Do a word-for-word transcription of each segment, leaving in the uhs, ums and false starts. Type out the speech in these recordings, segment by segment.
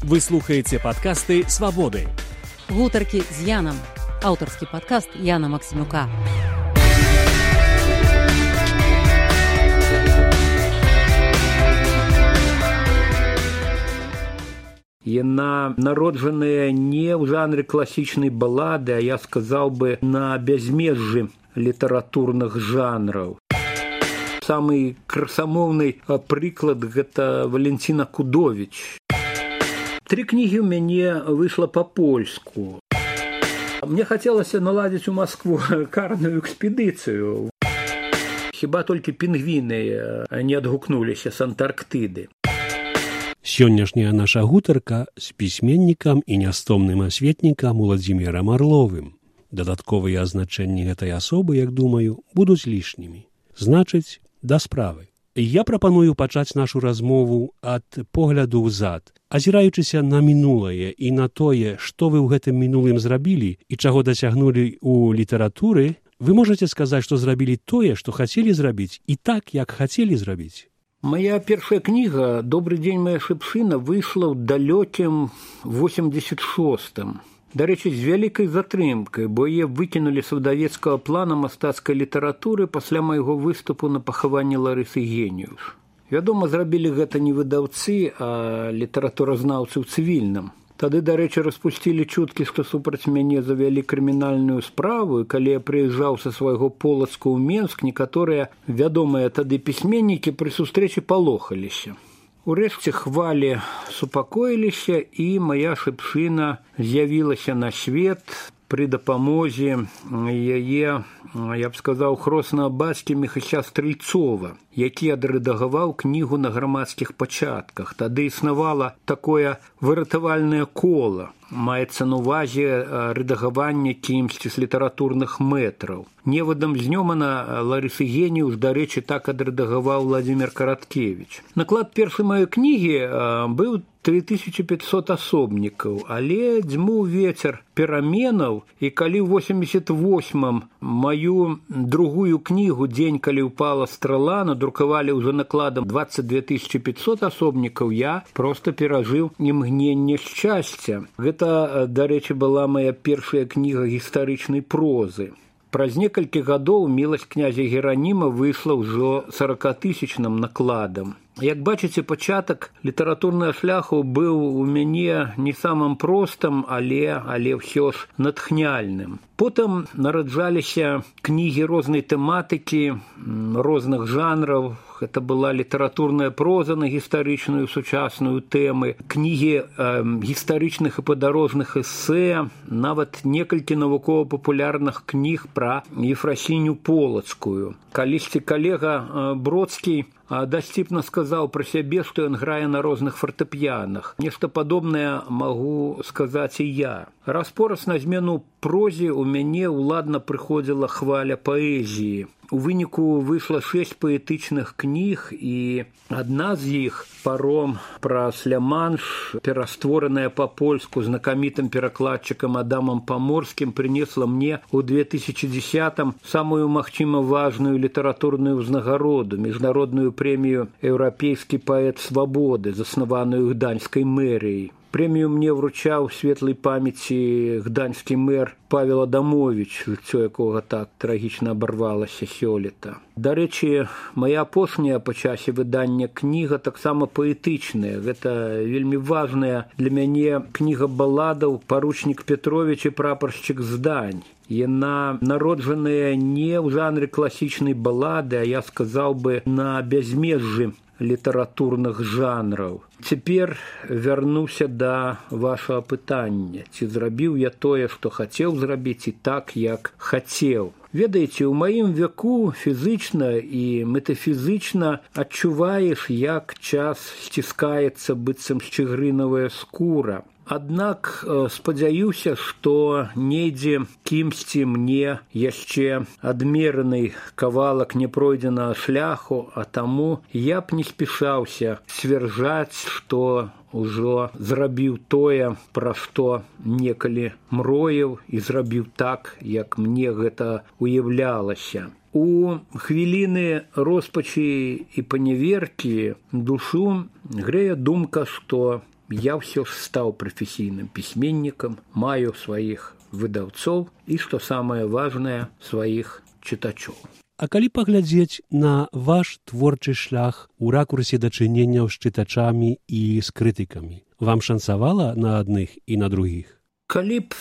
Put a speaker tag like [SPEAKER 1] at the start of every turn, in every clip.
[SPEAKER 1] Вы слухаеце падкасты «Свабоды».
[SPEAKER 2] Гутаркі з Янам. Аўтарскі падкаст Яна Максімюка.
[SPEAKER 3] Яна народжаная не ў жанры класічнай балады, а я сказаў бы на бязмежжы літаратурных жанраў. Самы красамоўны прыклад гэта Валентина Кудовіч. Тры кнігі ў мяне выйшла па-польску. Мне хацелася наладзіць у Маскву карную экспедыцыю. Хіба толькі пінгвіны не адгукнуліся з Антарктыды.
[SPEAKER 4] Сённяшняя наша гутарка з пісьменнікам і нястомным асветнікам Уладзімірам Арловым. Дадатковыя азначэнні гэтай асобы, як думаю, будуць лішнімі. Значыць, да справы. Я прапаную пачаць нашу размову ад погляду ўзад, азіраючыся на мінулае і на тое, што вы ў гэтым мінулым зрабілі і чаго дасягнулі ў літаратуры, вы можаце сказаць, што зрабілі тое, што хацелі зрабіць, і так, як хацелі зрабіць.
[SPEAKER 3] Моя першая кніга «Добрый день, моя шыпшына» выйшла ў далёкім восемьдесят шостым. Дарэчы, з вялікай затрымкай, бо яе выкінулі з выдавецкага плана мастацкай літаратуры пасля майго выступу на пахаванні Ларысы Геніюш. Вядома, зрабілі гэта не выдаўцы, а літаратуразнаўцы ў цывільным. Тады, дарэчы, распусцілі чуткі, што супраць мяне завялі крымінальную справу, і калі я прыязджаў са свайго Полацка ў Менск, некаторыя вядомыя тады пісьменнікі пры сустрэчы палохаліся. Урэшце хвалі супакоіліся, і моя шыпшына з'явілася на свет пры дапамозе яе, я б сказаў, хроснага бацькі Міхася Стрэльцова, які адрэдагаваў кнігу на грамадскіх пачатках. Тады існавала такое выратавальнае кола, маецца на ўвазе рэдагаванне кімсьці з літаратурных мэтраў. Невадам знёмана Ларысы Геніюш, дарэчы, так адрэдагаваў Владзімір Караткевіч. Наклад першай маёй кнігі быў тры тысячы пятьсот асобнікаў, але дзьмуў вецер пераменаў, і калі ў восемьдесят восьмым маю другую кнігу «Дзень, калі ўпала страла» надрукавалі ўжо накладам двадцать две тысячи пятьсот асобнікаў, я проста перажыў імгненне шчасця. Гэта, дарэчы, была моя першая кніга гістарычнай прозы. Праз некалькі гадоў «Міласць князя Гераніма» выйшла ўжо сорокатысячным накладам. Як бачыце, пачатак літаратурнага шляху быў у мяне не самым простым, але, але ўсё ж натхняльным. Потым нараджаліся кнігі рознай тэматыкі, розных жанраў. Гэта была літаратурная проза на гістарычную сучасную тэмы, кнігі э, гістарычных і падарожных эсэ, нават некалькі навукова-папулярных кніг пра Ефрасіню Полацкую. Калісьці калега э, Бродскі дасціпна сказаў пра сябе, што ён грае на розных фартэпіянах. Нешта падобнае магу сказаць і я. Раз-пораз на змену прозе ў мяне ўладна прыходзіла хваля паэзіі. У выніку выйшла шэсць паэтычных кніг, і адна з іх «Паром праз Ля-Манш», пераствораная па-польску знакамітым перакладчыкам Адамам Паморскім, прынесла мне ў две тысячи десятым самую, магчыма, важную літаратурную ўзнагароду, міжнародную прэмію «Еўрапейскі паэт свабоды», заснаваную гданьскай мэрыяй. Прэмію мне вручаў светлай памяці гданьскі мэр Павел Адамович, жыццё якога так трагічна абарвалася сёлета. Дарэчы, моя апошняя па часе выдання кніга таксама паэтычная. Гэта вельмі важная для мяне кніга баладаў «Паручнік Петрович і прапаршчык Здань». Яна народжаная не ў жанры класічнай балады, а я сказаў бы на бязмежжы літаратурных жанраў. Цяпер вярнуся да вашага пытання. Ці зрабіў я тое, што хацеў зрабіць, і так, як хацеў? Ведаеце, у маім веку фізычна і метафізычна адчуваеш, як час сціскаецца быццам шчыгрынавая скура. Аднак спадзяюся, што недзе кімсьці мне яшчэ адмераны кавалак няпройдзенага шляху, а таму я б не спяшаўся сцвярджаць, што ужо зрабіў тое, пра што некалі мроіў, і зрабіў так, як мне гэта уяўлялася. У хвіліны роспачы і паняверкі душу грэе думка, што я ўсё ж стаў прафесійным пісьменнікам, маю сваіх выдаўцоў і, што самае важнае, сваіх чытачоў.
[SPEAKER 4] А калі паглядзець на ваш творчы шлях у ракурсе дачыненняў з чытачамі і з крытыкамі, вам шанцавала на адных і на другіх?
[SPEAKER 3] Калі б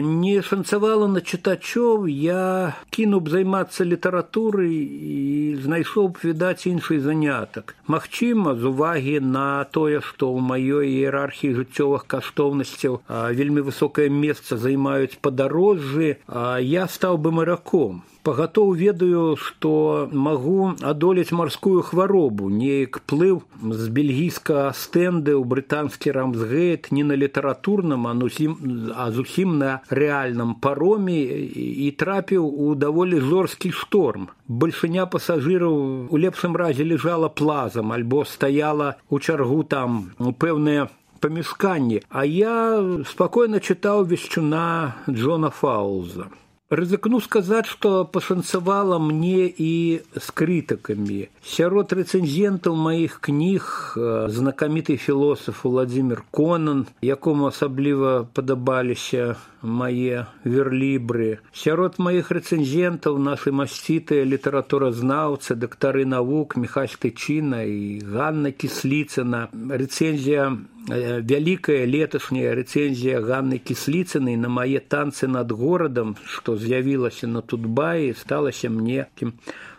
[SPEAKER 3] не шанцавала на чытачоў, я кінуў б займацца літаратурай і знайшоў б, відаць, іншы занятак. Магчыма, з увагі на тое, што ў маёй іерархіі жыццёвых каштоўнасцяў вельмі высокае месца займаюць падарожжы, я стаў бы мараком. Пагатоў ведаю, што магу адолець марскую хваробу, неяк плыў з бельгійскага стэнды ў брытанскі Рамсгейт не на літаратурным, а, нусім, а зусім на рэальным пароме і трапіў у даволі жорсткі шторм. Бальшыня пасажыраў у лепшым разе лежала плазам альбо стаяла ў чаргу там у пэўныя памяшканні, а я спакойна чытаў вешчуна Джона Фаулза. Рызыкну сказаць, што пашанцавала мне і з крытыкамі. Сярод рэцэнзентаў маіх кніг знакаміты філосаф Владзімір Конан, якому асабліва падабаліся мае верлібры. Сярод маіх рэцэнзентаў нашы масцітыя літаратуразнаўцы, дактары навук Міхась Тычына і Ганна Кісліцына. Рэцэнзія вялікая леташняя рэцэнзія Ганны Кісліцынай на мае танцы над горадам, што з'явілася на Тутбаі, сталася мне такім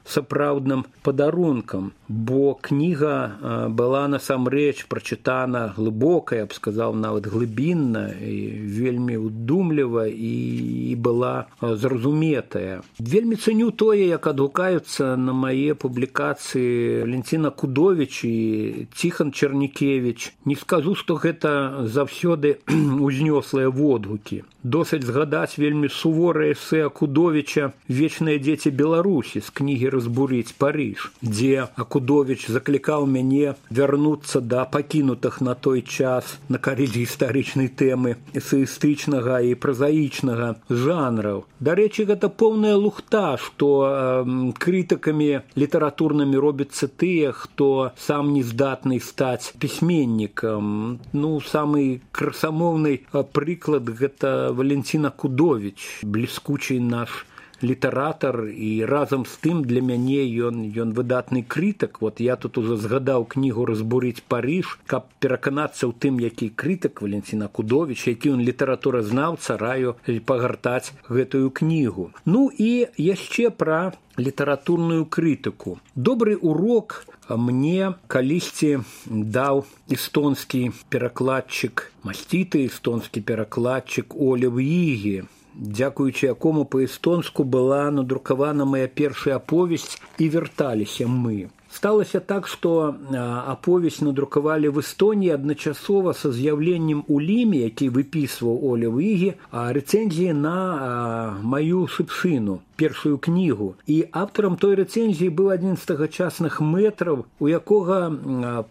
[SPEAKER 3] сапраўдным падарункам, бо кніга была насамрэч прачытана глыбока, я б сказаў, нават глыбінна, і вельмі ўдумліва і была зразуметая. Вельмі цэню тое, як адгукаюцца на мае публікацыі Валентина Кудовіч і Ціхан Чарнікевіч. Не скажу, што гэта заўсёды узнёслыя водгукі. Досыць згадаць вельмі суворае эсэ Акудовіча «Вечныя дзеці Беларусі» з кнігі «Разбурыць Париж», дзе Акудовіч заклікаў мяне вярнуцца да пакінутых на той час на карысць гістарычнай тэмы эсэістычнага і празаічнага жанраў. Дарэчы, гэта поўная лухта, што э, крытыкамі літаратурнымі робяцца тыя, хто сам не здатны стаць пісьменнікам. Ну, самы красамоўны прыклад гэта Валентина Кудовіч, бліскучы наш літаратар, і разам з тым для мяне ён, ён выдатны крытык. Вот я тут ужо згадаў кнігу «Разбурыць Париж», каб пераканацца ў тым, які крытык Валентина Кудовіч, які ён літаратуразнаўца, раю пагартаць гэтую кнігу. Ну і яшчэ пра літаратурную крытыку. Добры урок мне калісьці даў эстонскі перакладчык, масціты эстонскі перакладчык Олев Ігі, дзякуючы якому па-эстонску была надрукавана мая першая аповесць «І вярталіся мы». Сталася так, што аповесць надрукавалі в Эстонії адначасова са з'яўленнем у Ліме, які выпісваў Олев Ігі, рэцэнзіі на маю шыпшыну, першую кнігу. І аўтарам той рэцэнзіі быў адзін з тагачасных мэтраў, у якога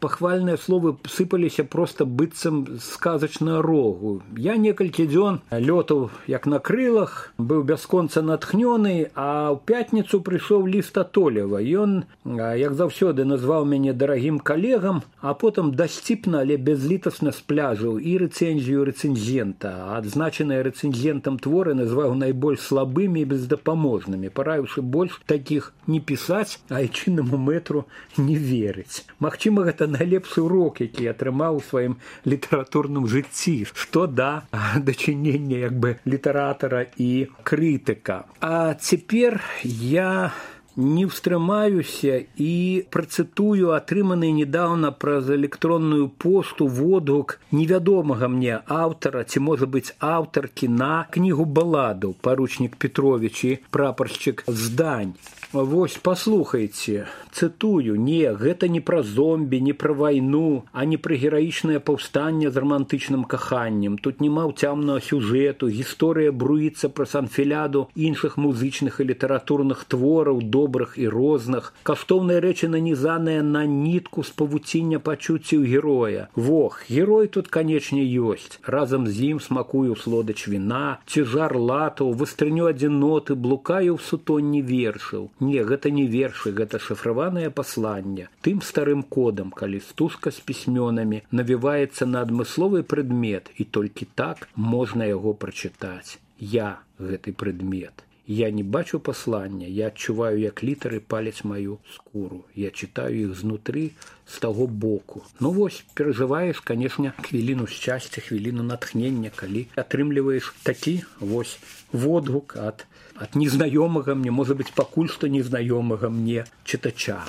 [SPEAKER 3] пахвальныя словы сыпаліся проста быццам сказачна рогу. Я некалькі дзён лётаў як на крылах, быў бясконца натхнёны, а ў пятніцу прыйшоў ліст ад Олева. Ён, як заўсёды, назваў мяне дарагім калегам, а потым дасціпна, але бязлітасна спляжыў і рэцэнзію рэцэнзента. Адзначаныя рэцэнзентам творы назваў найбольш слабымі і бездапаможнымі, параіўшы больш такіх не пісаць, а айчыннаму мэтру не верыць. Магчыма, гэта найлепшы урок, які атрымаў у сваім літаратурным жыцці, што да дачынення як бы літаратара і крытыка. А цяпер я не ўстрымаюся і працытую атрыманы недаўна праз электронную пошту водгук невядомага мне аўтара, ці, можа быць, аўтаркі на кнігу баладаў «Паручнік Петрович» і «Прапаршчык Здань». Вось, паслухайце, цытую, не, гэта не пра зомбі, не пра вайну, а не пра гераічнае паўстанне з рамантычным каханнем. Тут няма ўцямнага сюжэту, гісторыя бруіцца праз анфіляду іншых музычных і літаратурных твораў, добрых і розных. Каштоўныя рэчы нанізаныя на нітку з павуціння пачуццяў героя. Вох, герой тут, канечне, ёсць. Разам з ім смакую слодач віна, цяжар латаў, выстрыню адзіноты, блукаю ў сутонні вершаў. Не, гэта не вершы, гэта шыфраванае пасланне. Тым старым кодам, калі стужка з пісьмёнамі навіваецца на адмысловы прадмет, і толькі так можна яго прачытаць. Я гэты прадмет. Я не бачу паслання, я адчуваю, як літары паляць маю скуру. Я чытаю іх знутры, з таго боку. Ну вось, перажываеш, канешне, хвіліну шчасця, хвіліну натхнення, калі атрымліваеш такі вось водгук ад, ад незнаёмага мне, можа быць, пакуль што незнаёмага мне чытача.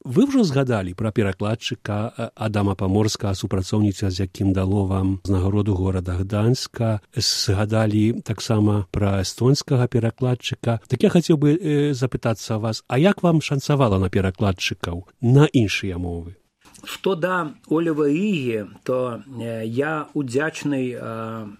[SPEAKER 4] Вы ўжо згадалі пра перакладчыка Адама Паморскага, супрацоўніца, з якім дало вам узнагароду горада Гданьска. Згадалі таксама пра эстонскага перакладчыка. Так я хацеў бы э, запытацца вас, а як вам шанцавала на перакладчыкаў на іншыя мовы?
[SPEAKER 3] Што да Олева Ігі, то я удзячны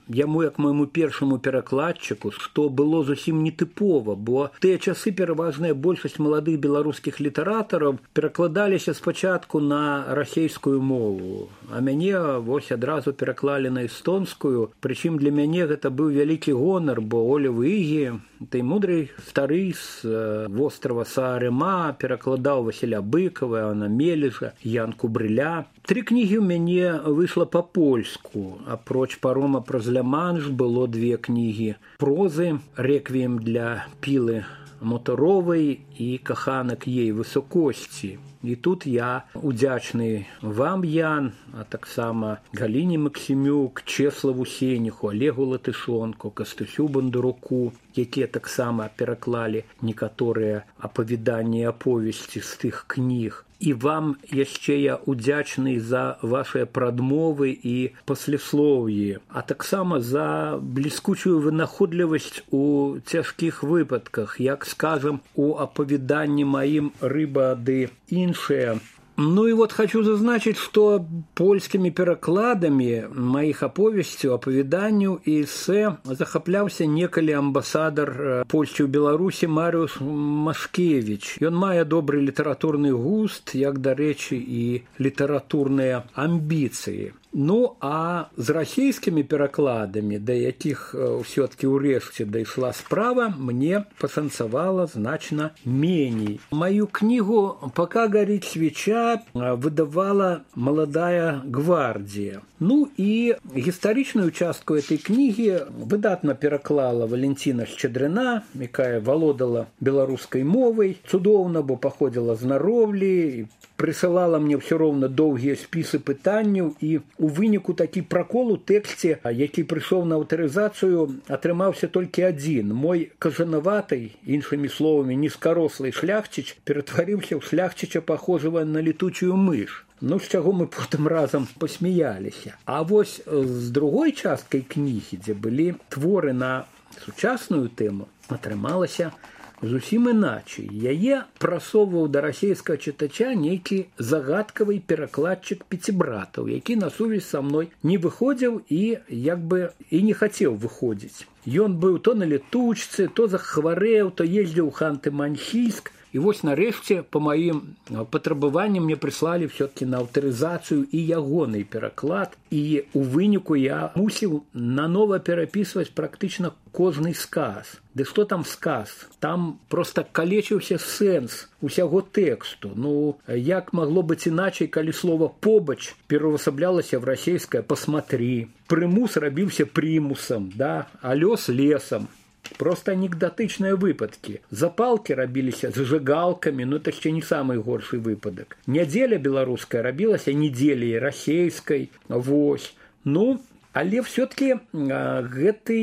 [SPEAKER 3] яму як майму першаму перакладчыку, што было зусім нетыпова, бо тыя часы пераважная большасць маладых беларускіх літаратараў перакладаліся спачатку на расейскую мову, а мяне вось адразу пераклалі на эстонскую, прычым для мяне гэта быў вялікі гонар, бо Олев Ігі, той мудрый стары з вострава Саарема, перакладаў Васіля Быкова, Іоанна Мележа, Янку Брыля. Тры кнігі ў мяне выйшла па-польску. Апроч парома праз Ля-Манш было две кнігі прозы, рэквіем для Пілы Моторовай і каханак ей высокосці. І тут я удзячны вам, Ян, а таксама Галіне Максімюк, Чеславу Сениху, Олегу Латышонку, Кастусю Бондаруку, якія таксама пераклалі некаторыя апавяданні і аповесці з тых кніг. І вам яшчэ я удзячны за вашыя прадмовы і паслеслоўі, а таксама за бліскучую вынаходлівасць у цяжкіх выпадках, як, скажам, у апавяданні маім «Рыба ды іншыя». Ну и вот хочу зазначить, что польскими перакладами моих аповесцяў, апавяданняў і эсэ захапляўся некалі амбасадар Польшчы ў Беларусі Марыуш Машкевіч. Ён мае добры літаратурны густ, як, дарэчы, і літаратурныя амбіцыі. Ну, а з расійскімі перакладамі, да якіх ўсё-ткі ўрэшце дайшла справа, мне пашанцавала значна меней. Маю кнігу «Пока горит свеча» выдавала «Молодая гвардия». Ну і гістарычную частку этой кнігі выдатна пераклала Валентина Шчадрына, якая валодала беларускай мовай, цудоўна, бо паходзіла з Нароўлі, прысылала мне ўсё роўна доўгія спісы пытанняў, і у выніку такі пракол у тэксце, які прыйшоў на аўтарызацыю, атрымаўся толькі адзін. Мой кажанаватай, іншымі словамі, нізкарослый шляхціч ператварыўся ў шляхціча, пахожага на летучую мыш. Ну, з чаго мы потым разам пасмяяліся. А вось з другой часткай кнігі, дзе былі творы на сучасную тэму, атрымалася зусім іначай. Яе прасоўваў да расейскага чытача нейкі загадкавы перакладчык Пяцібратаў, які на сувязь са мной не выходзіў і як бы і не хацеў выходзіць. Ён быў то на летучцы, то захварэў, то ездзіў у Ханты-Мансійск. І вось нарэшце па маім патрабаванні мне прыслалі ўсё-такі на аўтарызацыю і ягоны пераклад, і у выніку я мусіў нанова перапісваць практычна кожны сказ. Ды што там сказ? Там проста калечыўся сэнс усяго тэксту. Ну, як магло быць іначай, калі слова «побач» пераўвасаблялася в расейскае «посмотри», прымус рабіўся прымусам, да, а лёс лесам. Просто анекдотычныя выпадкі. Запалкі рабіліся зажигалкамі, ну это яшчэ не самы горшы выпадак. Нядзеля беларуская рабілася недзеляй расейскай. Вось. Ну, але все-таки гэты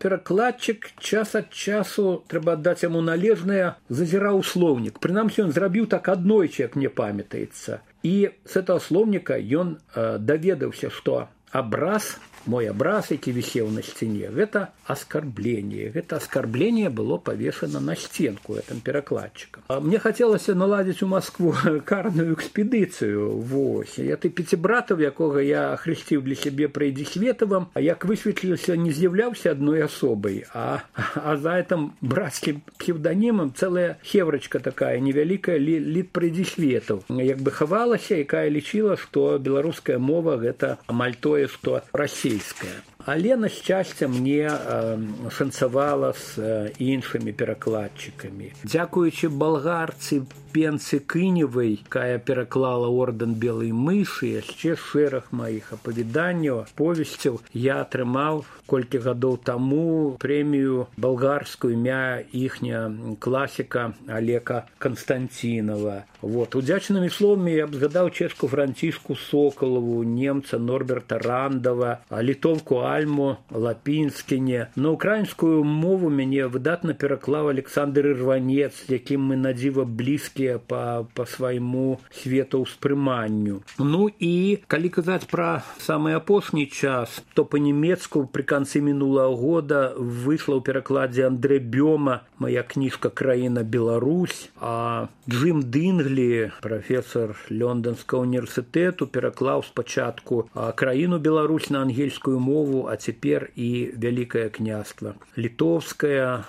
[SPEAKER 3] перакладчык час ад часу, трэба аддаць яму належнае, зазіраў слоўнік. Прынамсі, ён зрабіў так аднойчы, як мне памятаецца. І з этого слоўніка ён даведаўся, што абраз, мой абраз, які вісеў на сцяне, гэта аскарбленне. Гэта аскарбленне было павешана на сценку гэтым перакладчыкам. Мне хацелася наладзіць у Маскву карную экспедыцыю. Вось. Я ты Пяцібратаў, якога я ахрысціў для сябе Прайдзісветавым, а як высветлілася, не з'яўляўся адной асобай, а, а за гэтым брацкім псевданімам цэлая хеврачка такая невялікая літ Прайдзісветаў. Як бы хавалася, якая лічыла, што беларуская мова гэта амаль тое, што расейская. Але, на шчасце, мне шанцавала з іншымі перакладчыкамі. Дзякуючы балгарцы Пенцы Кыневай, якая пераклала ордэн белай мышы, яшчэ шэраг маіх апавяданняў, повесцяў, я атрымаў колькі гадоў таму прэмію балгарскую імя іхня класіка Олега Константинова. Вот. Удзячнымі словамі я б згадаў чэшку Францішку Соколову, немца Норберта Рандова, літовку Альму Лапінскіне. На украінскую мову мяне выдатна пераклаў Александр Ірванец, якім мы надзіва блізкія па, па свайму светаўспрыманню. Ну і калі казаць пра самы апошні час, то па-нямецку пры канцы мінулага года выйшла ў перакладзе Андре Бёма моя кніжка «Краіна Беларусь», а Джим Динглі, прафесор Лондонскага універсітэту, пераклаў спачатку «Краіну Беларусь» на ангельскую мову, а цяпер і Вялікае княства літоўскае.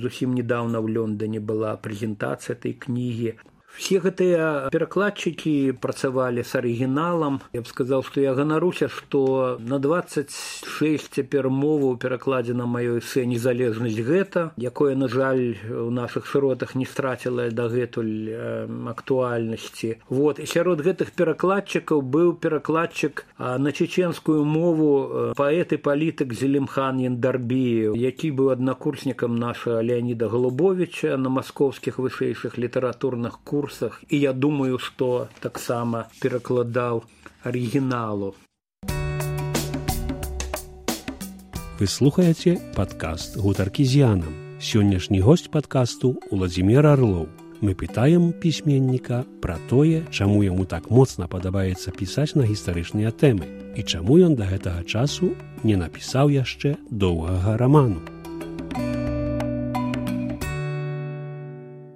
[SPEAKER 3] Зусім недавно в Лондоне была прэзентацыя этой кнігі. Все гэтыя перакладчыкі працавалі з арыгіналам. Я б сказаў, што я ганаруся, што на дваццаць шэсць цяпер моваў перакладзена маё эсэ «Незалежнасць гэта», якое, на жаль, у нашых шыротах не страціла дагэтуль э, актуальнасці. Вот. І сярод гэтых перакладчыкаў быў перакладчык а, на чеченскую мову э, паэт і палітык Зелимхан Яндарбиев, які быў аднакурснікам нашага Леаніда Голубовича на маскоўскіх вышэйшых літаратурных курсах. І я думаю, што таксама перакладаў арыгіналу.
[SPEAKER 4] Вы слухаеце падкаст «Гутаркі з Янам». Сённяшні госць падкасту Уладзімір Арлоў. Мы пытаем пісьменніка пра тое, чаму яму так моцна падабаецца пісаць на гістарычныя тэмы і чаму ён да гэтага часу не напісаў яшчэ доўгага раману.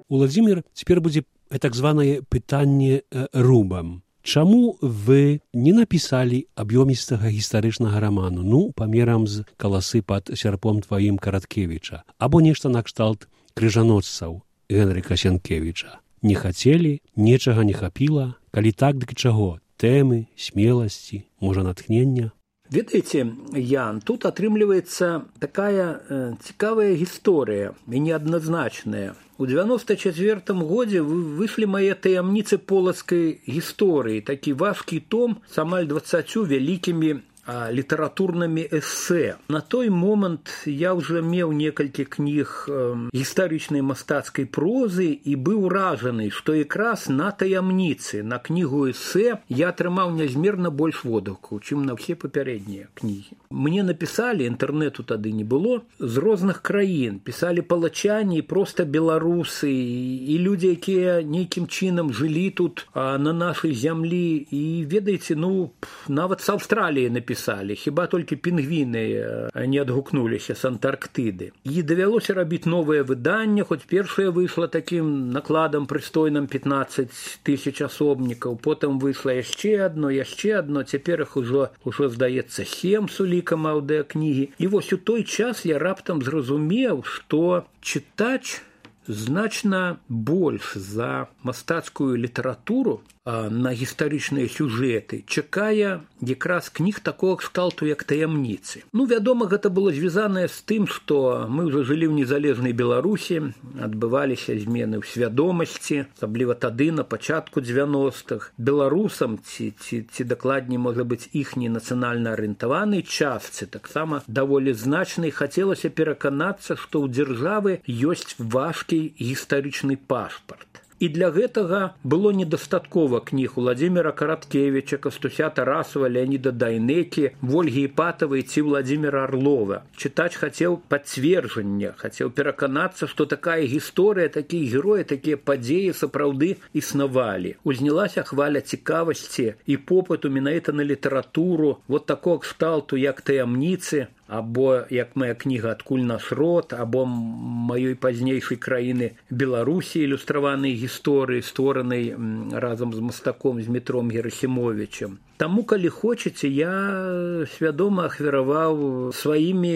[SPEAKER 4] Уладзімір, цяпер будзе так званае пытанне рубам. Чаму вы не напісалі аб'ёмістага гістарычнага раману, ну, памерам з «Каласы пад сярпом тваім» Караткевіча, або нешта накшталт «Крыжаносцаў» Генрыка Сенкевіча? Не хацелі, нечага не хапіла, калі так, дык чаго? Тэмы, смеласці, можа, натхнення?
[SPEAKER 3] Ведаеце, Ян, тут атрымліваецца такая э, цікавая гісторыя і неадназначная. У дзевяноста чацвёртым годзе выйшлі мае таямніцы полацкай гісторыі, такі важкі том з амаль дваццаццю вялікімі а, літаратурнымі эсэ. На той момант я ўжо меў некалькі кніг э, гістарычнай мастацкай прозы і быў уражаны, што якраз на таямніцы, на кнігу эсэ я атрымаў нязмерна больш водгукаў, чым на ўсе папярэднія кнігі. Мне напісалі, інтэрнэту тады не было, з розных краін, пісалі палачане, проста беларусы і людзі, якія нейкім чынам жылі тут а, на нашай зямлі. І ведаеце, ну, нават з Аўстраліі напісалі, хіба толькі пінгвіны не адгукнуліся з Антарктыды. І давялося рабіць новае выданне, хоць першае выйшла такім накладам прыстойным пятнаццаць тысяч асобнікаў, потым выйшла яшчэ адно, яшчэ адно, цяпер іх ужо, ужо здаецца, сем сулі аўдыакнігі. І вось у той час я раптам зразумеў, што чытач значна больш за мастацкую літаратуру а, на гістарычныя сюжэты чакае якраз кніг такога кшталту, як таямніцы. Ну, вядома, гэта было звязанае з тым, што мы ўжо жылі ў незалежнай Беларусі, адбываліся змены ў свядомасці, асабліва тады, на пачатку дзевяностых. Беларусам, ці, ці, ці дакладней, можа быць, іхняй нацыянальна арыентаванай частцы, таксама даволі значнай, хацелася пераканацца, што ў дзяржавы ёсць важкі гістарычны пашпарт. І для гэтага было недастаткова кніг Уладзіміра Караткевіча, Кастуся Тарасова, Леаніда Дайнекі, Вольгі Іпатавай ці Уладзіміра Арлова. Чытач хацеў пацверджання, хацеў пераканацца, што такая гісторыя, такія героі, такія падзеі сапраўды існавалі. Узнялася хваля цікавасці і попыту менавіта на літаратуру, вот такога кшталту, як таямніцы, або, як моя кніга «Адкуль наш род», або маёй пазнейшай краіны Беларусі ілюстраванай гісторыі, створанай разам з мастаком Змітром Герасімовічем. Таму, калі хочаце, я свядома ахвяраваў сваімі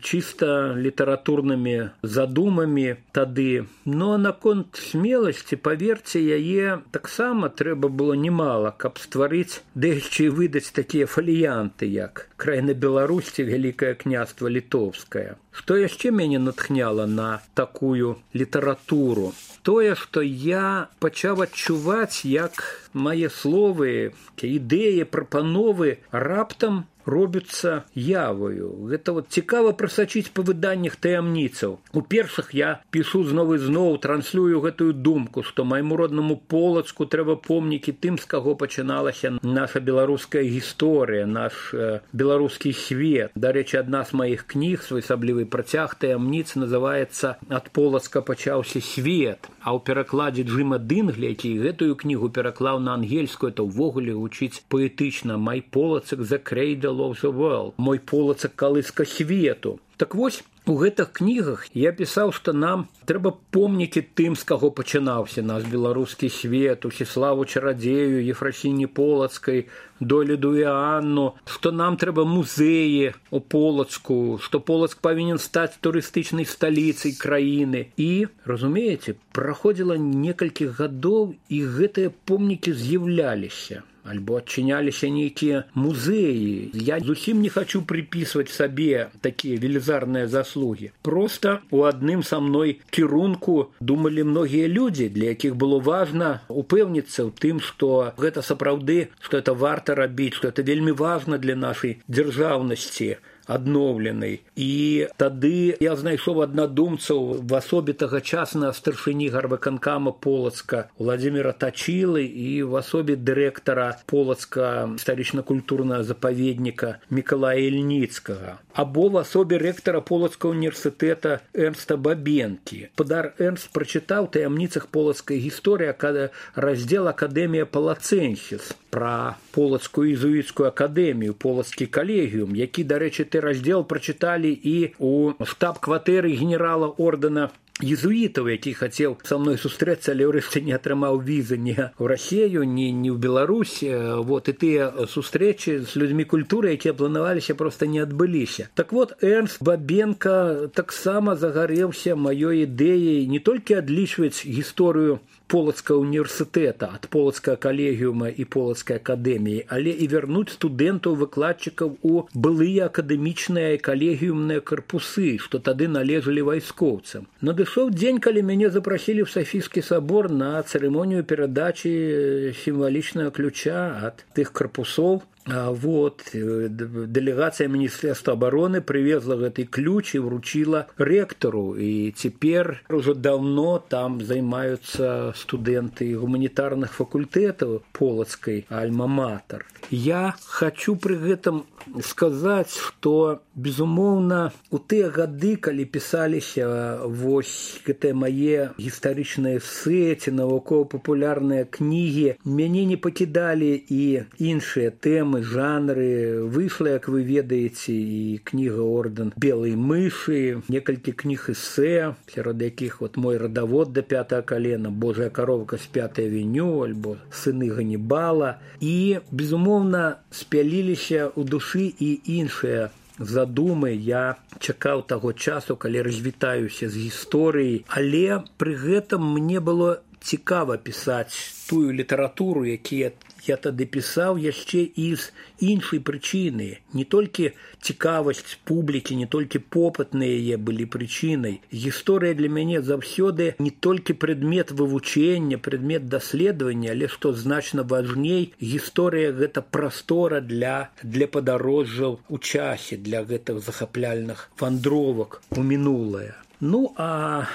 [SPEAKER 3] чыста літаратурнымі задумамі тады. Но наконт смеласці, паверце, яе таксама трэба было немало, каб стварыць, ды яшчэ і выдаць такія фаліянты, як «Краіна Беларусь» ці «Вялікае княства Літоўскае». Што яшчэ мяне натхняла на такую літаратуру? Тое, што я пачаў адчуваць, як мае словы, ідэі, прапановы раптам робяцца явою. Гэта вот цікава прасачыць па выданнях таямніцаў. У першых я пішу зноў і зноў, транслюю гэтую думку, што майму роднаму Полацку трэба помнікі тым, з каго пачыналася наша беларуская гісторыя, наш э, беларускі свет. Дарэчы, адна з маіх кніг, своеасаблівы працяг таямніц, называецца «Ад Полацка пачаўся свет». А ў перакладзе Джима Дынглі, які гэтую кнігу пераклаў на ангельскую, то ўвогуле гучыць паэтычна «My Polacek the cradle of the world», «Мой Полацак калыска свету». Так вось, у гэтых кнігах я пісаў, што нам трэба помнікі тым, з каго пачынаўся наш беларускі свет, Усіславу Чарадзею, Ефрасіні Полацкай, Доліду і Анну, што нам трэба музеі у Полацку, што Полацк павінен стаць турыстычнай сталіцай краіны. І, разумееце, праходзіла некалькі гадоў, і гэтыя помнікі з'яўляліся. Альбо адчыняліся нейкія музеі. Я зусім не хачу припісваць сабе такія велізарныя заслугі. Проста у адным са мной кірунку думалі многія людзі, для якіх было важна упэўніцца ў тым, што гэта сапраўды, што это варта рабіць, што это вельмі важна для нашай дзяржаўнасці адноўленай. І тады я знайшоў аднадумцаў в асобе тагачаснага старшыні гарвыканкама Полацка Владзіміра Тачылы і в асобе дырэктара Полацка гістарычна-культурнага запаведніка Мікалая Ільніцкага. Або в асобе рэктара Полацкага універсітэта Эрнста Бабенкі. Падар Эрнст прачытаў таямніцах полацкай гісторыі раздзел «Акадэмія Палацэнсіс» пра Полацкую езуіцкую акадэмію, Полацкі калегіум, які, дарэчы, ты раздзел прачыталі і у штаб-кватэры генерала ордэна езуітаў, які хацеў са мной сустрэцца, але ўрэшце не атрымаў візы ні ў Расію, ні, ні ў Беларусь. Вот, і тыя сустрэчы з людзьмі культуры, якія планаваліся, проста не адбыліся. Так вот, Эрнст Бабенка таксама загарэўся маёй ідэяй не толькі адлічваць гісторыю Полацкага універсітэта, ад Полацкага калегіума і Полацкай акадэміі, але і вярнуць студэнтаў-выкладчыкаў у былыя акадэмічныя і калегіумныя карпусы, што тады належалі вайскоўцам. Надышоў дзень, калі мяне запрасілі ў Сафійскі сабор на цырымонію перадачы сімвалічнага ключа ад тых карпусоў. А вот, дэлегацыя Міністэрства абароны прывезла гэты ключ і вручила рэктару. І цяпер ужо даўно там займаюцца студэнты гуманітарных факультэтаў Полацкай альма-матер. Я хочу пры гэтым сказаць, што, безумоўна, у тыя гады, калі пісаліся вось гэтыя мае гістарычныя эсэ ці навукова-папулярныя кнігі, мяне не пакідалі і іншыя тэмы, жанры. Выйшла, як вы ведаеце, і кніга «Ордэн белай мышы», некалькі кніг эсэ, сярод якіх вот «Мой радавод да пятага калена», «Божая каровка з пятай авеню» альбо «Сыны Ганнібала». І, безумоўна, спяліліся ў душы і іншыя задумы. Я чакаў таго часу, калі развітаюся з гісторыяй, але пры гэтым мне было цікава пісаць тую літаратуру, якія я тады пісаў, яшчэ і з іншай прычыны. Не толькі цікавасць публікі, не толькі попыт на яе былі прычынай. Гісторыя для мяне заўсёды не толькі прадмет вывучэння, прадмет даследавання, але, што значна важней, гісторыя – гэта прастора для, для падарожжаў у часе, для гэтых захапляльных вандровак у мінулае. Ну, а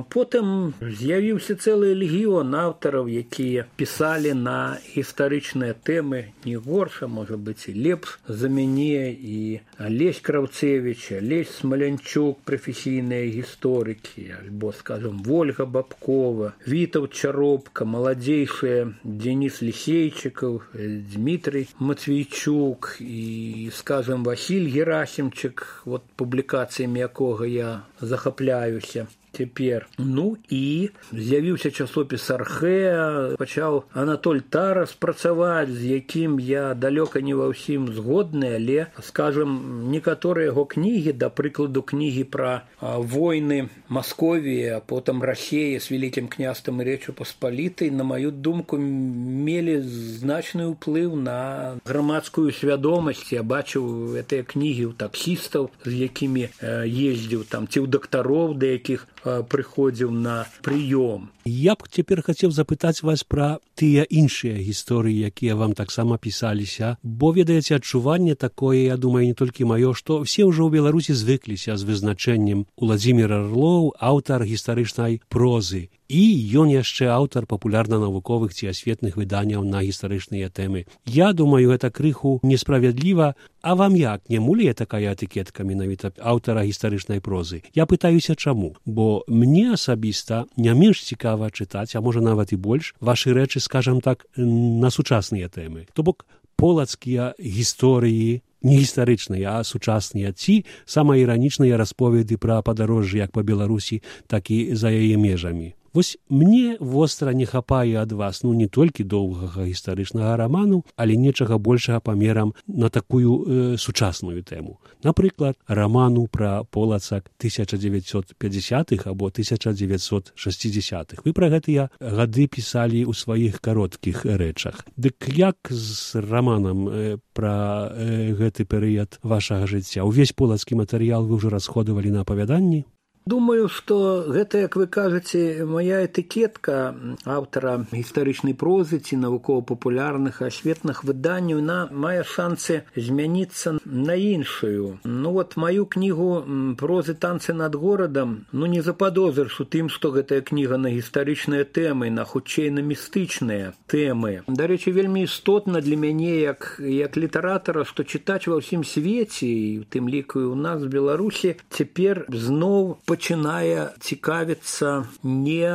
[SPEAKER 3] потым з'явіўся цэлы легіён аўтараў, якія пісалі на гістарычныя тэмы не горш, а можа быць і лепш за мяне, і Алесь Краўцевіч, Алесь Смалянчук, прафесійныя гісторыкі, альбо, скажем, Вольга Бабкова, Вітаўт Чаропка, маладзейшыя Дзеніс Лісейчыкаў, Дмітрый Матвейчук і, скажем, Васіль Герасімчык, вот публікацыямі якога я захапляюся. цяпер. Ну і з'явіўся часопіс «Архэ», пачаў Анатоль Тарас працаваць, з якім я далёка не ва ўсім згодны, але, скажам, некаторыя яго кнігі, да прыкладу кнігі пра войны Масковіі, а потым Расеі з Вялікім княствам і Рэччу Паспалітай, на маю думку, мелі значны ўплыў на грамадскую свядомасць. Я бачыў гэтыя кнігі ў таксістаў, з якімі ездзіў там, ці ў дактароў, да якіх прыходзіў на прыём.
[SPEAKER 4] Я б цяпер хацеў запытаць вас пра тыя іншыя гісторыі, якія вам таксама пісаліся, бо, ведаеце, адчуванне такое, я думаю, не толькі маё, што все ўжо ў Беларусі звыкліся з вызначэннем Уладзімір Арлоў, аўтар гістарычнай прозы. І ён яшчэ аўтар папулярна-навуковых ці асветных выданняў на гістарычныя тэмы. Я думаю, гэта крыху несправядліва. А вам як, не мулее такая этыкетка менавіта аўтара гістарычнай прозы? Я пытаюся, чаму? Бо мне асабіста не менш цікава чытаць, а можа нават і больш, вашы рэчы, скажам так, на сучасныя тэмы. То бок полацкія гісторыі, не гістарычныя, а сучасныя, ці самаіранічныя расповеды пра падарожжы як па Беларусі, так і за яе межамі. Вось мне востра не хапае ад вас, ну, не толькі доўгага гістарычнага раману, але нечага большага памерам на такую э, сучасную тэму. Напрыклад, раману пра полацак тысяча дзевяцьсот пятьдесятых або тысяча дзевяцьсот шэсцідзесятых. Вы пра гэтыя гады пісалі ў сваіх кароткіх рэчах. Дык як з раманам э, пра э, гэты перыяд вашага жыцця? Увесь полацкі матэрыял вы ўжо расходавалі на апавяданні?
[SPEAKER 3] Думаю, што гэта, як вы кажаце, моя этыкетка аўтара гістарычнай прозы ці навукова-папулярных асветных выданняў, на мае шансы змяніцца на іншую. Ну вот маю кнігу прозы «Танцы над горадам», ну не западозрыш у тым, што гэтая кніга на гістарычныя тэмы, на хутчэй на містычныя тэмы. Дарэчы, вельмі істотна для мяне, як, як літаратара, што чытач ва ўсім свеце, і у тым ліку і ў нас, в Беларусі, цяпер зноў пачынае цікавіцца не,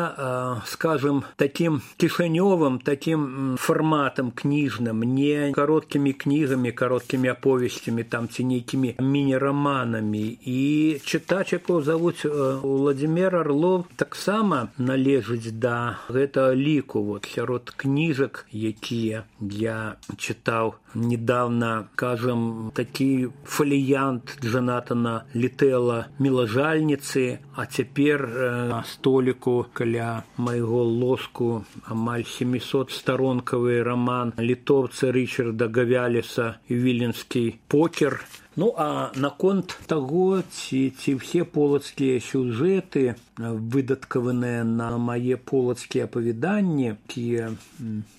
[SPEAKER 3] скажем, таким кішанёвым, таким фарматам кніжным, не кароткімі кнігамі, кароткімі аповесцямі там ці нейкімі міні-раманамі. І чытач, якого завуць Уладзімір Арлоў, таксама належыць да гэтага ліку. Вот, сярод кніжак, якія я чытаў недавно, кажем, такі фаліянт Джанатана Літэла «Мілажальніцы», а цяпер на століку каля майго ложку амаль сямісотстаронкавы раман літоўца Рычарда Гавяліса «Віленскі покер». Ну, а наконт таго, ці, ці ўсе полацкія сюжэты, выдаткаваныя на мае полацкія апавяданні, якія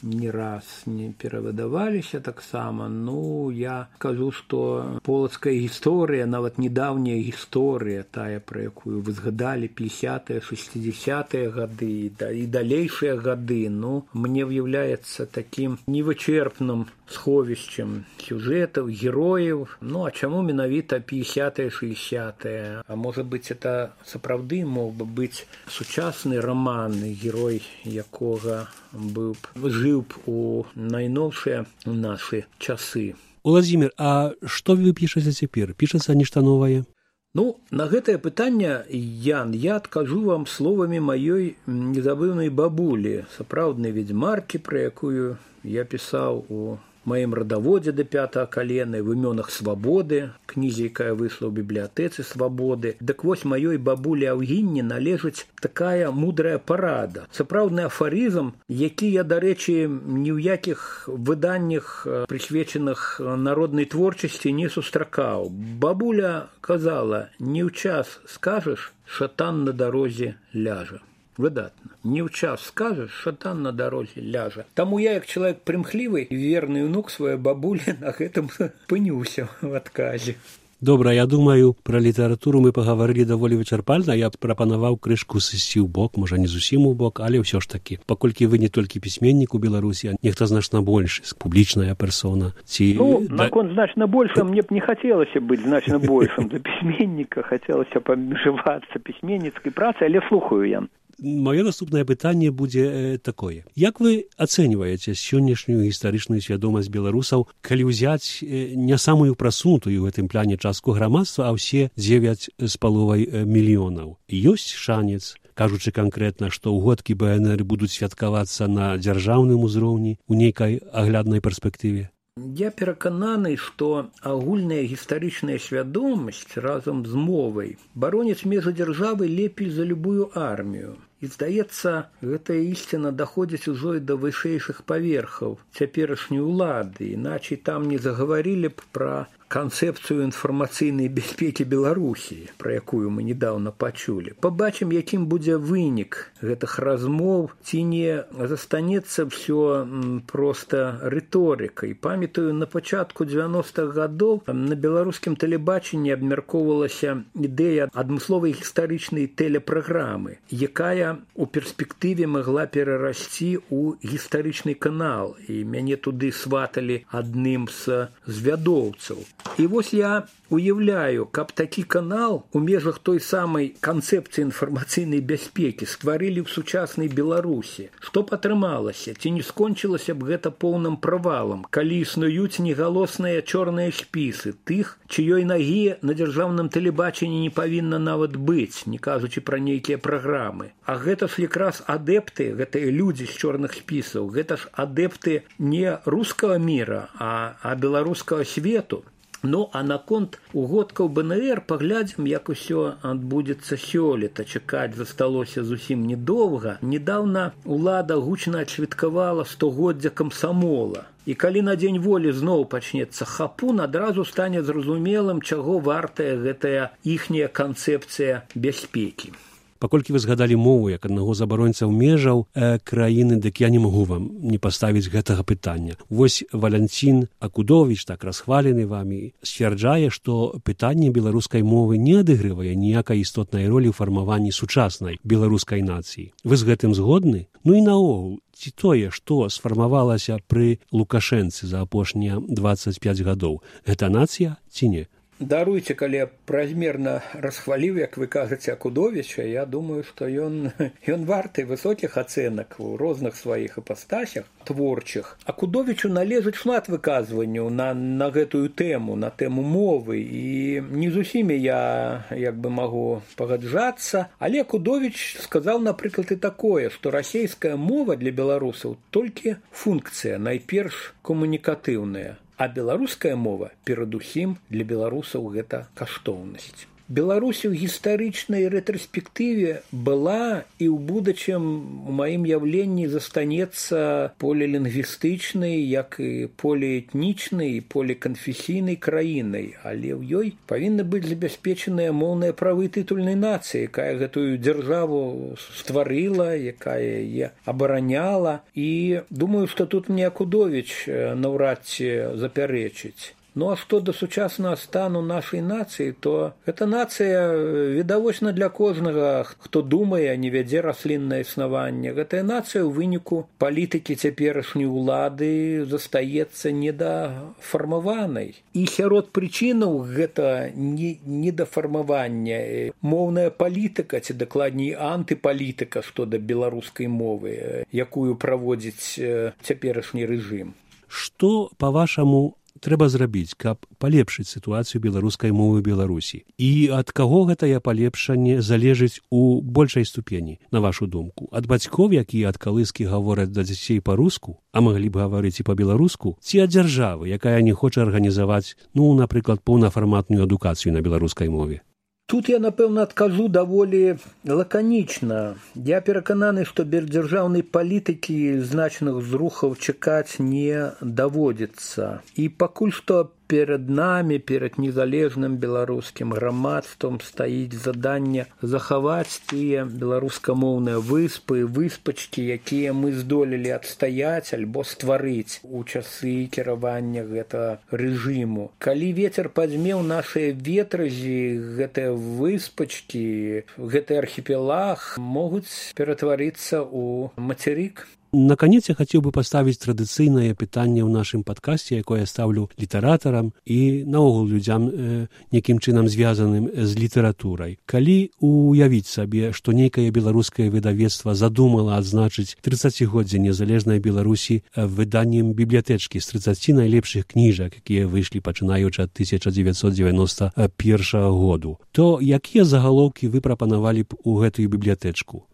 [SPEAKER 3] не раз не перавыдаваліся таксама, ну, я кажу, што полацкая гісторыя, нават недаўняя гісторыя, тая, пра якую вы згадалі, пятидесятыя, шестидесятыя гады і далейшыя гады, ну, мне ўяўляецца такім невычерпным сховішчам сюжэтаў, герояў. Ну, а чаму менавіта пятидесятыя, шестидесятыя? А можа быць, это сапраўды мог бы быць сучасны раман, герой якога быў б жыў б у найноўшыя нашы часы.
[SPEAKER 4] Уладзімір, а што вы пішаце цяпер? Пішацца нешта новае?
[SPEAKER 3] Ну, на гэтае пытанне, Ян, я адкажу вам словамі маёй незабыўнай бабулі, сапраўднай ведзьмаркі, пра якую я пісаў у маім радаводзе да пятага калена, в імёнах свабоды, кнізе, якая выйшла ў бібліятэцы свабоды. Дык вось маёй бабулі Аўгінні належыць такая мудрая парада, сапраўдны афарызм, які я, дарэчы, ні ў якіх выданнях, прысвечаных народнай творчасці, не сустракаў. Бабуля казала: «Не ў час скажаш, шатан на дарозе ляжа». Выдатна. Не ў час скажаш, шатан на дарозе ляжа. Таму я, як чалавек прымхлівы, верны ўнук сваёй бабулі, на гэтым пынюся в адказе.
[SPEAKER 4] Добра, я думаю, пра літаратуру мы пагаварылі даволі вычарпальна. Я прапанаваў крышку сысці ў бок, можа, не зусім у бок, але ўсё ж такі. Паколькі вы не толькі пісьменнік у Беларусі, а нехта значна больш, публічная персона. Ці...
[SPEAKER 3] Ну, наконт значна больш, мне б не хацелася быць значна большым за пісьменніка, хацелася б абмежавацца пісьменніцкай працай, але слухаю я.
[SPEAKER 4] Маё наступнае пытанне будзе такое. Як вы ацэньваеце сённяшнюю гістарычную свядомасць беларусаў, калі ўзяць не самую прасунутую ў гэтым пляне частку грамадства, а ўсе дзевяць з паловай мільёнаў? Ёсць шанец, кажучы канкрэтна, што ўгодкі бэ эн эр будуць святкавацца на дзяржаўным узроўні ў нейкай агляднай перспектыве?
[SPEAKER 3] Я перакананы, што агульная гістарычная свядомасць разам з мовай бароніць межы дзяржавы лепей за любую армію. І, здаецца, гэтая ісціна даходзіць ужо і да вышэйшых паверхаў цяперашняй улады, іначай там не загаварылі б пра канцэпцыю інфармацыйнай бяспекі Беларусі, пра якую мы недаўна пачулі. Пабачым, якім будзе вынік гэтых размоў, ці не застанецца ўсё проста рыторыкай. Памятаю, на пачатку дзевяностых гадоў на беларускім тэлебачанні абмяркоўвалася ідэя адмысловай гістарычнай тэлепраграмы, якая у перспектыве магла перарасці ў гістарычны канал, і мяне туды сваталі адным з звядоўцаў. І вось я уяўляю, каб такі канал у межах той самай канцэпцыі інфармацыйнай бяспекі стварылі ў сучаснай Беларусі. Што б атрымалася? Ці не скончылася б гэта поўным правалам, калі існуюць негалосныя чорныя спісы тых, чыёй нагі на дзяржаўным тэлебачанні не павінна нават быць, не кажучы пра нейкія праграмы. А гэта ж якраз адэпты, гэтыя людзі з чорных спісаў, гэта ж адэпты не рускага міра, а, а беларускага свету. Ну, а наконт угодкаў бэ эн эр паглядзім, як усё адбудзецца сёлета. Чакаць засталося зусім недоўга. Недаўна ўлада гучна адсвяткавала стагоддзя камсамола. І калі на дзень волі зноў пачнецца хапун, адразу стане зразумелым, чаго вартая гэтая іхняя канцэпцыя бяспекі.
[SPEAKER 4] Паколькі вы згадалі мову як аднаго з абаронцаў межаў э, краіны, дык я не магу вам не паставіць гэтага пытання. Вось Валянцін Акудовіч, так расхвалены вамі, сцвярджае, што пытанне беларускай мовы не адыгрывае ніякай істотнай ролі ў фармаванні сучаснай беларускай нацыі. Вы з гэтым згодны? Ну і наогул, ці тое, што сфармавалася пры Лукашэнцы за апошнія дваццаць пяць гадоў, гэта нацыя ці не?
[SPEAKER 3] Даруйце, калі я празмерна расхваліў, як вы кажаце, Акудовіча, я думаю, што ён, ён варты высокіх ацэнак у розных сваіх іпастасях творчых. Акудовічу належыць шмат выказванняў на, на гэтую тэму, на тэму мовы, і не з усімі я як бы магу пагаджацца, але Акудовіч сказаў, напрыклад, і такое, што расейская мова для беларусаў толькі функцыя, найперш камунікатыўная. А беларуская мова, перадусім, для беларусаў гэта каштоўнасць. Беларусь у гістарычнай рэтраспектыве была і ў будучым у маім яўленні застанецца полілінгвістычнай, як і поліэтнічнай, поліканфесійнай краінай, але ў ёй павінна быць забяспечаныя моўныя правы тытульнай нацыі, якая гэтую дзяржаву стварыла, якая яе абараняла, і думаю, што тут мне Акудовіч наўрад ці запярэчыць. Ну, а што да сучаснага стану нашай нацыі, то гэта нацыя відавочна для кожнага, хто думае, не вядзе расліннае існаванне. Гэтая нацыя ў выніку палітыкі цяперашняй улады застаецца недафармаванай. І сярод прычынаў гэта недафармавання. Моўная палітыка, ці дакладней антыпалітыка, што да беларускай мовы, якую праводзіць цяперашні рэжым.
[SPEAKER 4] Што, па-вашаму, трэба зрабіць, каб палепшыць сітуацыю беларускай мовы Беларусі? І ад каго гэтае палепшанне залежыць у большай ступені, на вашу думку? Ад бацькоў, якія ад калыскі гавораць да дзяцей па-руску, а маглі б гаварыць і па-беларуску, ці ад дзяржавы, якая не хоча арганізаваць, ну, напрыклад, паўнафарматную адукацыю на беларускай мове?
[SPEAKER 3] Тут я, напэўна, адкажу даволі лаканічна. Я перакананы, што без дзяржаўнай палітыкі значных зрухаў чакаць не даводзіцца. І пакуль што перад намі, перад незалежным беларускім грамадствам стаіць заданне захаваць тыя беларускамоўныя выспы, выспачкі, якія мы здолелі адстаяць альбо стварыць у часы кіравання гэтага рэжыму. Калі вецер падзьмеў нашыя ветразі, гэтыя выспачкі, гэты архіпелаг могуць ператварыцца ў мацярык.
[SPEAKER 4] Наконец, я хотел бы поставить традыцыйнае пытанне ў нашым падкасце, якое я ставлю літаратарам і наогул людзям э, некім чынам звязаным з літаратурай. Калі уявіць сабе, што нейкае беларускае выдавецтва задумала адзначыць трыццацігоддзе незалежнай Беларусі выданнем бібліятэчкі з трыццаці найлепшых кніжак, якія выйшлі пачынаючы ад тысяча дзевяцьсот дзевяноста першага году, то якія загалоўкі вы прапанавалі б у гэтую бібліятэчку?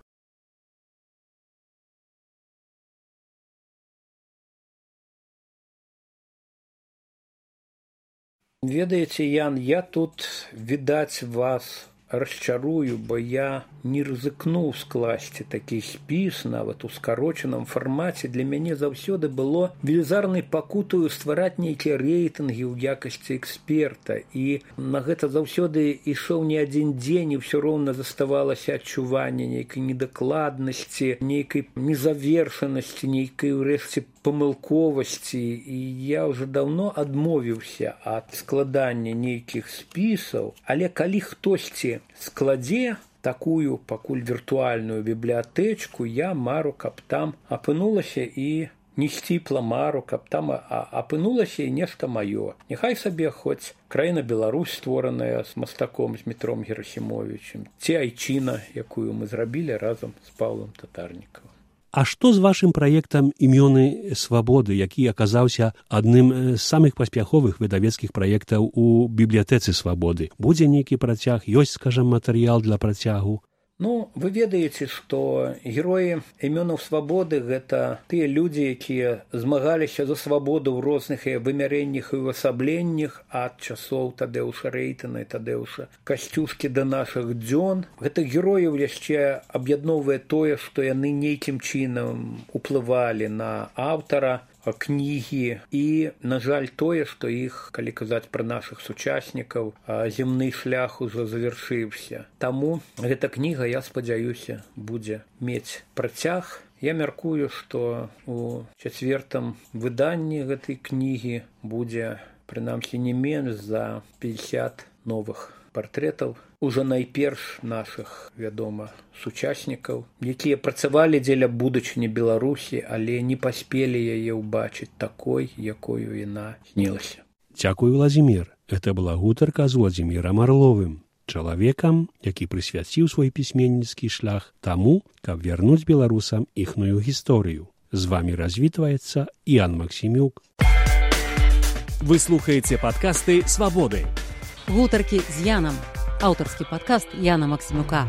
[SPEAKER 3] Ведаеце, Ян, я тут, відаць, вас расчарую, бо я не рызыкнуў скласці такі спіс, нават у скарочаным фармаце. Для мяне заўсёды было велізарнай пакутаю ствараць нейкія рэйтынгі ў якасці эксперта. І на гэта заўсёды ішоў не адзін дзень, і ўсё роўна заставалася адчуванне нейкай недакладнасці, нейкай незавершанасці, нейкай урэшце памылковасці. І я ўжо даўно адмовіўся ад складання нейкіх спісаў, але калі хтосьці складзе такую пакуль віртуальную бібліятэчку, я мару, каб там апынулася і не сціпла мару, каб там апынулася і нешта маё. Няхай сабе хоць краіна Беларусь, створаная з мастаком, з Метром Герасімовічем, ці айчына, якую мы зрабілі разам з Паўлам Татарнікавым.
[SPEAKER 4] А што з вашым праектам «Імёны свабоды», які аказаўся адным з самых паспяховых выдавецкіх праектаў у бібліятэцы свабоды? Будзе нейкі працяг, ёсць, скажам, матэрыял для працягу?
[SPEAKER 3] Ну, вы ведаеце, што героі імёнаў свабоды – гэта тыя людзі, якія змагаліся за свабоду ў розных вымярэннях і ўвасабленнях ад часоў Тадэуша Рэйтана і Тадэуша Касцюшкі да нашых дзён. Гэтых герояў яшчэ аб'ядноўвае тое, што яны нейкім чынам уплывалі на аўтара кнігі і, на жаль, тое, што іх, калі казаць пра нашых сучаснікаў, земны шлях ужо завяршыўся. Таму гэта кніга, я спадзяюся, будзе мець працяг. Я мяркую, што у чацвертым выданні гэтай кнігі будзе, прынамсі, не менш за пятьдесят новых партрэтаў ужо найперш нашых, вядома, сучаснікаў, якія працавалі дзеля будучыні Беларусі, але не паспелі яе ўбачыць такой, якою яна снілася.
[SPEAKER 4] Дзякуй, Владзімір. Гэта была гутарка з Владзімірам Арловым, чалавекам, які прысвяціў свой пісьменніцкі шлях таму, каб вярнуць беларусам іхную гісторыю. З вамі развітваецца Ян Максімюк.
[SPEAKER 1] Вы слухаеце падкасты «Свабоды».
[SPEAKER 2] Гутаркі з Янам. Аўтарскі падкаст Яна Максімюка.